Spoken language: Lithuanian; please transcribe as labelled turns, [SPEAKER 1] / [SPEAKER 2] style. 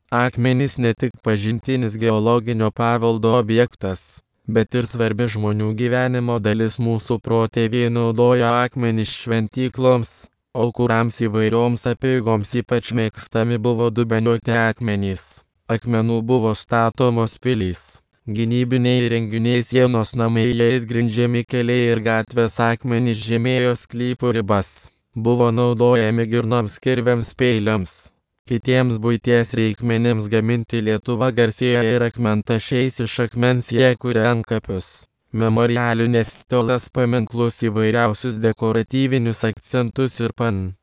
[SPEAKER 1] Akmenys ne tik pažintinis geologinio paveldo objektas, bet ir svarbi žmonių gyvenimo dalis. Mūsų protėviai naudojo akmenis šventykloms, aukurams įvairioms apeigoms. Ypač mėgstami buvo dubeniuoti akmenys. Akmenų buvo statomos pilys, gynybiniai įrenginiai, sienos, namai, jais grindžiami keliai ir gatvės. Akmenys žymėjo sklypų ribas. Buvo naudojami girnoms, kirviams, peiliams, kitiems buities reikmenims gaminti. Lietuva garsėja ir akmentašiais. Iš akmens jie kuria antkapius, memorialinės stolas, paminklus, įvairiausius dekoratyvinius akcentus ir